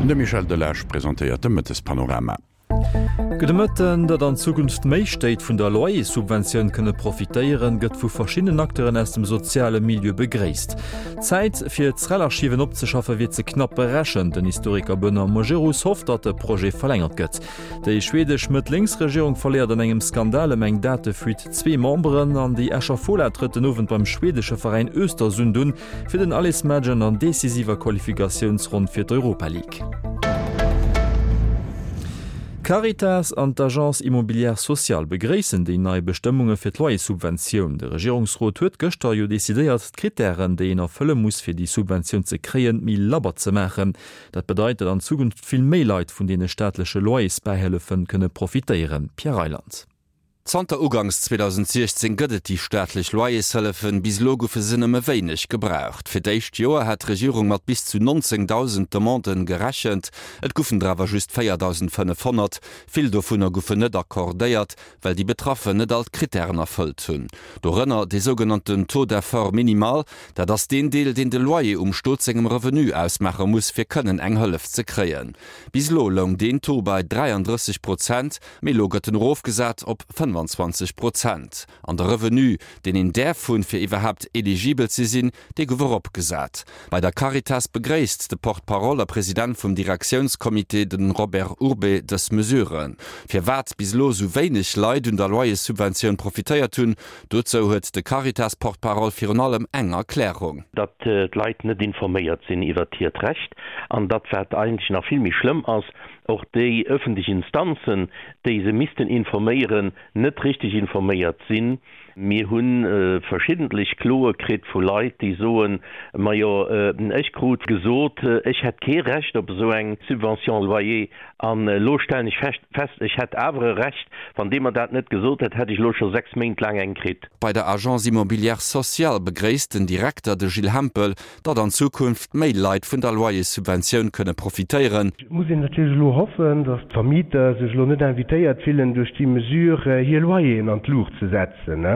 De Michel Delage presentéiert de Mëttespanorama. Gudde Mëtten. Datt an Zukunft méi Stéit vun der Loyerssubventioun kënne profitéieren, gëtt vu verschiddenen Acteuren aus dem soziale Milieu begréisst. D'Zäit, fir d'SREL-Archiven opzeschaffe wier ze knapp berechent. Den Historiker Benoît Majerus hofft, datt de Projet verlängert gëtt. Déi schwedesch Mëtt-Lénks-Regierung verléiert an engem Skandal ëm eng Datefuite zwee Memberen an déi Escher Fola trëtt den Owend beim schwedesche Veräin Östersund un. Fir den Allesmatch an der decisiver Qualifikatiounsronn fir d'Europa League. D'Caritas an d'Agence Immobilière Sociale begréissen déi nei Bestëmmunge fir d'Loyerssubventioun. De Regierungsrot huet gëschter jo decidéiert, d'Krittären, déi een erfëlle muss, fir déi Subventioun ze kréien, méi labber ze maachen. Dat bedeit, datt an Zukunft vill méi Leit vun deene staatleche Loyersbäihëllefe kënne profitéieren. Pierre Reyland. Zanter uganks 2016 gëtt et déi staatlech Loyershëllefen. Bis elo goufe se nëmme wéineg gebraucht. Fir d'éischt Joer hat d'Regierung mat bis zu 19.000 Demanden gerechent. Et goufen der awer just 4.500. Vill dovunner goufen net accordéiert, well déi Betraffen net all d'Krittären erfëllt hunn. Dorënner dee sougenannten Taux d'effort minimal. Dat ass deen Deel, deen de Loyer um Stot sengem Revenu ausmaache muss, fir kënnen eng Hëllef ze kréien. Bis elo loung deen Taux bei 33 Prozent. Mee elo gëtt en erofgesat op 25 Prozent. An de Revenu, deen een däerf hunn, fir iwwerhaapt eligibel ze sinn, dee gouf eropgesat. Bei der Caritas begréisst de Porte-parole a President vum Direktiounscomité, de Robert Urbé, dës Mesure. Firwat bis elo esou wéineg Leit un der Loyerssubventioun profitéiert hunn, dozou huet de Caritas-Porte-parole virun allem eng Erklärung. Datt d'Leit net informéiert sinn iwwert hiert Recht an datt, wat eigentlech nach vill méi schlëmm ass, och déi öffentlech Instanzen, déi se missten informéieren, net richtig informéiert sinn. Mir hu verschiddentlech Kloe kritt vu Leit, déi soen, Majo, ech krut gesot, ech hätt kee Recht op esou eng Subvention loyer, an elo stellen ech fest, ech hätt awer e Recht. Wann dee mer dat net gesot hätt, hätt ech elo scho 6 Méint laang eng kritt. Bei der Agence immobilière sociale begréisst den Direkter, de Gilles Hempel, datt an Zukunft méi Leit vun der Loyerssubventioun kënne profitéieren. Et muss een natierlech elo hoffen, datt d'Vermieter sech elo net invitéiert fillen, duerch déi Mesure hir Loyeren an d'Luucht ze setzen.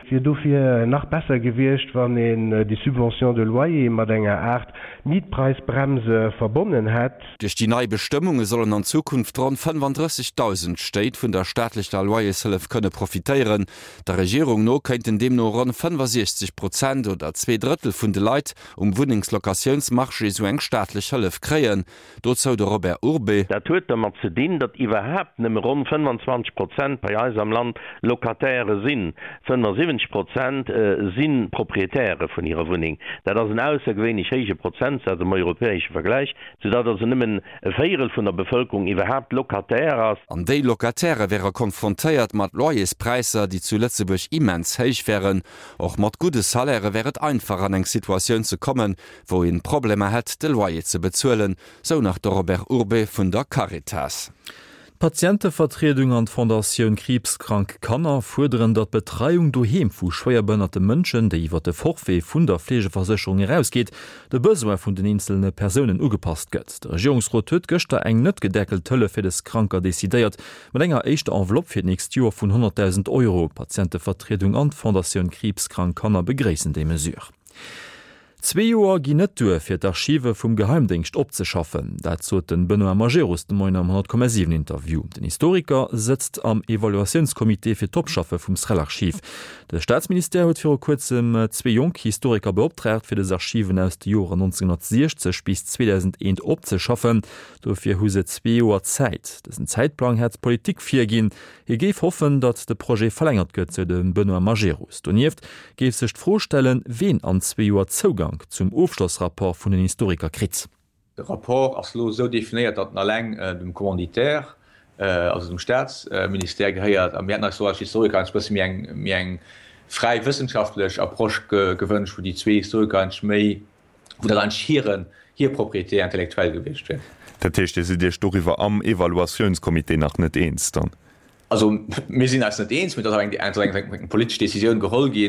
Et wier dofir nach besser gewiescht, wann een déi Subvention de loyer mat enger Aart Mietpreisbremse verbonnen hätt. Duerch déi nei Bestëmmunge sollen an Zukunft ronn 35.000 Stéit vun der staatlecher Loyershëllef kënne profitéieren. Der Regierung no kéinten deemno ronn 65 Prozent oder 2 Drëttel vun de Leit um Wunnengslocatiounsmarché esou eng staatlech Hëllef kréien. Dozou de Robert Urbé. Dat huet dermat ze dinn, datt iwwerhaapt nëmme ronn 25 Prozent bei eis am Land Locataire sinn. 75 Prozent si Proprietäre vun hirer Wunneng. Dat ass en aussergewéinlech héije Prozentsaz am europäesche Vergläich, soudatt also nëmmen e Véierel vun der Bevëlkerung iwwerhaapt Locataire ass. An déi Locatairë wäre konfrontéiert mat Loyerspräisser, déi zu Lëtzebuerg immens héich wären. Och mat gudde Salairë wär et einfach an eng Situatioun ze kommen, wou een Problemer hätt, de Loyer ze bezuelen, sou nach de Robert Urbé vun der Caritas. D'Patientevertriedung an d'Fondatioun Kriibskrank Kanner fuerderen, datt d'Betreiung doheem vu schwéierbehënnerte Mënschen, déi iwwer de Forfait vun der Fleegeversécherung erausgeet, de Besoin vun den eenzelne Persounen ugepasst gëtt. De Regierungsrot huet gëschter eng net gedeckelt Hëllef fir des Kranker decidéiert, mat enger éischter Enveloppe fir d'nächst Joer vun 100.000 Euro. D'Patientevertriedung an d'Fondatioun Kriibskrank Kanner begréissen déi Mesure. Zwee Joer ginn net duer, fir d'Archive vum Geheimdéngscht opzeschaffen. Dat sot de Benoît Majerus de Moien am 100,7 Interview. Den Historiker sëtzt am Evaluatiounscomité fir d'Opschaffe vum SREL-Archiv. De Staatsministère huet viru kuerzem zwee jonk Historiker beoptraagt, fir dës Archiven aus de Joren 1960 bis 2001 opzeschaffen. Dofir hu se zwee Joer Zäit. Dësen Zäitplang hätt d'Politik virginn. Hie géif hoffen, datt de Projet verlängert gëtt, sou de Benoît Majerus. Donieft géif sech d'Fro stellen, ween an zwee Joer Zougank zum Ofschlossrapport vun den Historiker kritt. De Rapport ass elo esou definéiert, datt en alleng dem Commanditaire, also dem Staatsministère gehéiert. A mir hätten eis do als Historiker eigentlech e bësse méi eng, méi eng fräi wëssenschaftlech Approche gewënscht, wou déi zwee Historiker eigentlech méi, wou dat eigentlech hiren, hir Propriété intellectuelle gewiescht wier. Dat heescht, Dir sidd Iech doriwwer am Evaluatiounscomité nach net eens dann? Also mir sinn eis net eens, mee et ass awer eng, eng politesch Décisioun geholl gi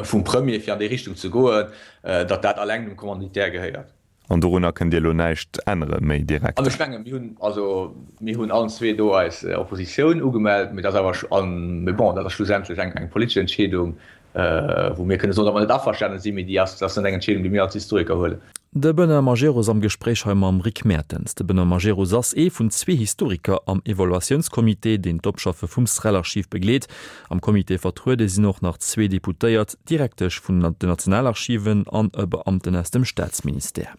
vum Premier, fir an déi Richtung ze goen, datt dat alleng dem Commanditaire gehéiert. An dorunner kënnt Dir elo näischt ännere méi direkt? An ech mengen, mir hunn, also mir hunn allen zwee do eis Oppositioun ugemellt, mee dat ass awer, mee bon, dat ass schlussendlech eng, eng politesch Entscheedung. wou mir kënne soen, datt mer net averstane sinn, mee déi ass, dat ass net eng Entscheedung, déi mir als Historiker huelen. De Benoît Majerus am Gespréich hei mam Rick Mertens. De Benoît Majerus ass ee vun zwee Historiker am Evaluatiounscomité, deen d'Opschaffe vum SREL-Archiv begleet. Am Comité vertruede sinn och nach zwee Deputéiert, d'Direktesch vun den Nationalarchiven an e Beamten aus dem Staatsministère.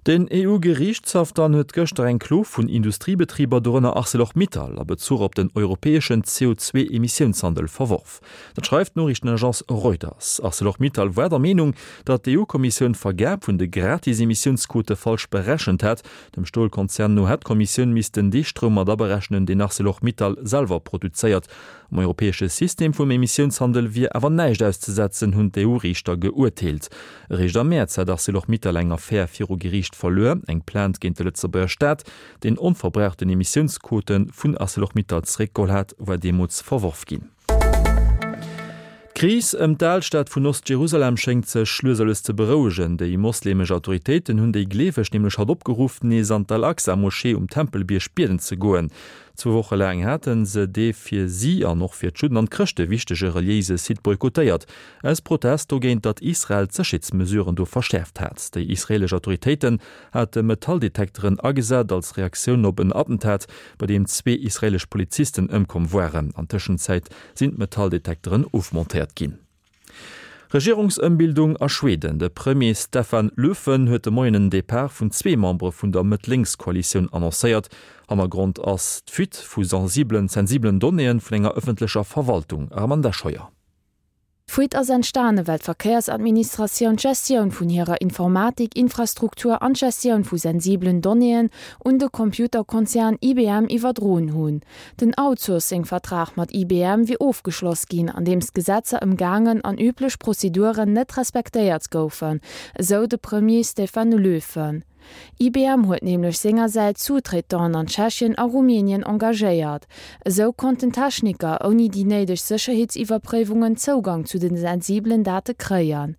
Den EU-Geriichtshaff dann huet gëschter eng Klo vun Industriebetriber, dorënner Arcelor-Mittal, a Bezuch op den europäeschen CO2-Emissiounshandel verworf. Dat schreift d'Noriichtenagence Reuters. Arcelor-Mittal war der Meenung, datt d'EU-Kommissioun d'Vergab vun de Gratis-Emissiounsquote falsch berechent hätt. Dem Stolkonzern no hätt d'Kommissioun missten dee Stroum mat aberechnen, deen Arcelor-Mittal selwer produzéiert. Am europäesche System vum Emissiounshandel wier awer näischt auszesetzen, hunn d'EU-Riichter geuerteelt. Eréischt am Mäerz hat Arcelor-Mittal eng Affär viru Geriicht verluer, eng Plainte géint de Lëtzebuerger Staat, deen onverbrauchten Emissiounsquote vun Arcelor-Mittal zeréckgeholl hat, war deemools verworf ginn. D'Kris ëm d'Alstad vun Ost-Jerusalem schéngt sech lues a lues ze berouegen. Déi mosleemesch Autoritéiten hunn déi Gleeweg nämlech haut opgeruff, nees an d'Al-Aqsa-Moschee um Tempelbierg bieden ze goen. Zwou Woche laang hate se dee fir si an och fir d'Judden an d'Chrëschte wichtege reliéise Site boykottéiert, aus Protest dogéint, datt Israel d'Sécherheetsmesuren do verschäerft hat. Déi israeelesch Autoritéiten hate Metalldetekteren agesat als Reaktioun op en Attentat, bei deem zwee israeelesch Polizisten ëmkomm waren. An Tëschenzäit sinn d'Metalldetekteren ofmontéiert ginn. Regierungsëmbildung a Schweden, De Premier Stefan Löfven huet de Moien en Depart vun zwee Membere vun der Mëtt-Lénks-Koalitioun annoncéiert. Hannergrond ass d'Fuite vu sensibelen Donnéeë vun enger ëffentlecher Verwaltung. Armanda Scheuer. D'Fuite ass entstane well d'Verkéiersadministratioun d'Gestioun vun hirer Informatik-Infrastruktur an d'Gestioun vu sensibelen Donnéeën un de Computerkonzern IBM iwwerdroen hunn. Den Outsourcing-Vertrag mat IBM wier ofgeschloss ginn, andeems d'Gesetzer ëmgaangen an üblech Prozeduren net respektéiert goufen, esou de Premier Stefan Löfven. IBM huet nämlech sengersäits Sous-traitanten an Tschechien a Rumänien engagéiert. Esou konnten Techniker ouni déi néideg Sécherheetsiwwerpréiwungen Zougang zu de sensibelen Date kréien.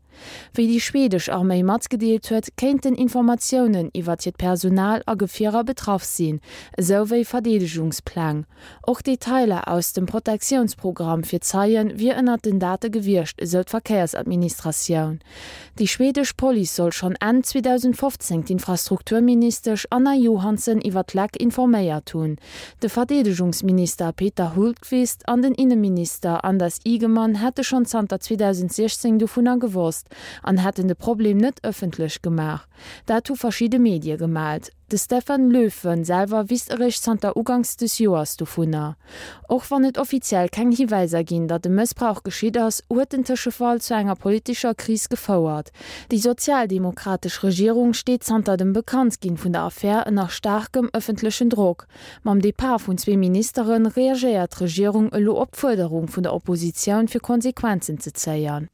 Wéi déi schwedesch Arméi matgedeelt huet, kéinten Informatiounen iwwert hiert Personal a Gefierer betraff sinn, esou wéi Verdeedegungspläng. Och Detailer aus dem Protektiounsprogramm fir Zeien wier ënnert den Date gewiescht, esou d'Verkéiersadministratioun. Déi schwedesch Police soll schonn Enn 2015 d'Infrastrukturministesch Anna Johansson iwwer d'Leck informéiert hunn. De Verdeedegungsminister Peter Hultqvist an den Inneminister Anders Ygeman hätte schonn zanter 2016 dovunner gewosst an hätten de Problem net ëffentlech gemaach. Dat hu verschidde Medie gemellt. De Stefan Löfven selwer wisst eréischt zanter uganks des Joers dovunner. Och wann et offiziell keng Hiwäiser ginn, datt e Mëssbrauch geschitt ass, huet den Tëschefall zu enger politescher Kris gefouert. Déi sozialdemokratesch Regierung steet zanter dem Bekanntginn vun der Affär ënner staarkem ëffentlechen Drock. Mam Depart vun zwee Ministere reagéiert d'Regierung elo op d'Fuerderung vun der Oppositioun fir Konsequenzen ze zéien.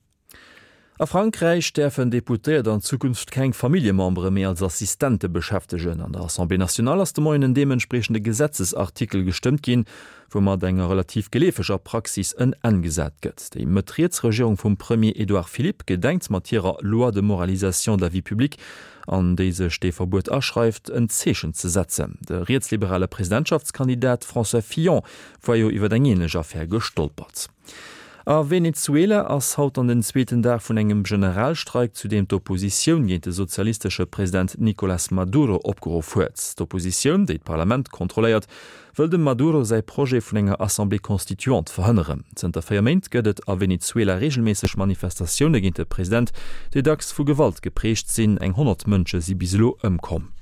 A Frankräich däerfen Deputéiert an Zukunft keng Familljemembere méi als Assistente beschäftegen. An der Assemblée nationale ass de Moien en deementspriechende Gesetzesartikel gestëmmt ginn, woumat enger relativ geleefeger Praxis en Enn gesat gëtt. Déi Mëtt-Riets-Regierung vum Premier Edouard Philippe gedenkt mat hirer Loi de moralisation de la vie publique, an déi sech dee Verbuet aschreift, en Zeechen ze setzen. De rietsliberale Presidentschaftskandidat François Fillon war jo iwwer eng änlech Affär gestolpert. A Venezuela ass haut dann den zweeten Dag vun engem Generalstreik, zu deem d'Oppositioun géint de sozialistesche President Nicolas Maduro opgeruff huet. D'Oppositioun, déi d'Parlament kontrolléiert, wëll dem Maduro säi Projet vun enger Assemblée constituante verhënneren. Zënter 4 Méint gëtt et a Venezuela reegelméisseg Manifestatioune géint de President, déi dacks vu Gewalt geprägt sinn. Eng 100 Mënsche si bis elo ëmkomm.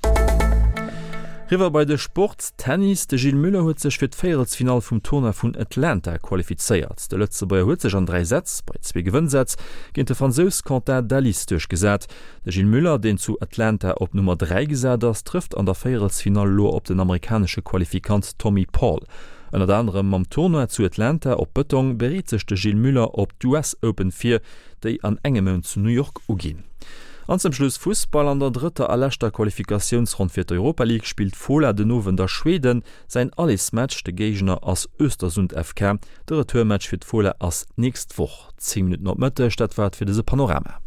Riwwer bei de Sport, Tennis, De Gilles Muller huet sech fir d'Véierelsfinall vum Tournoi vun Atlanta qualifizéiert. De Lëtzebuerger huet sech an 3 Sätz, bei zwee Gewënnsätz, géint de Fransous Quentin Dalis duerchgesat. De Gilles Muller, deen zu Atlanta op Nummer 3 gesat ass, trëfft an der Véierelsfinall elo op den amerikanesche Qualifikant Tommy Paul. Ënnert anerem mam Tournoi zu Atlanta op Bëtong bereet sech de Gilles Muller op d'US Open vir, déi an engem Mount zu New York uginn. An zum Schluss Fussball, An der drëtter a leschter Qualifikatiounsronn fir d'Europa League spillt Fola den Owend a Schweden säin Allesmatch. De Géigner ass Östersund FK. De Retourmatch fir d'Fola ass d'nächst Woch. 10 Minutten op Mëtteg, dat war et fir dëse Panorama.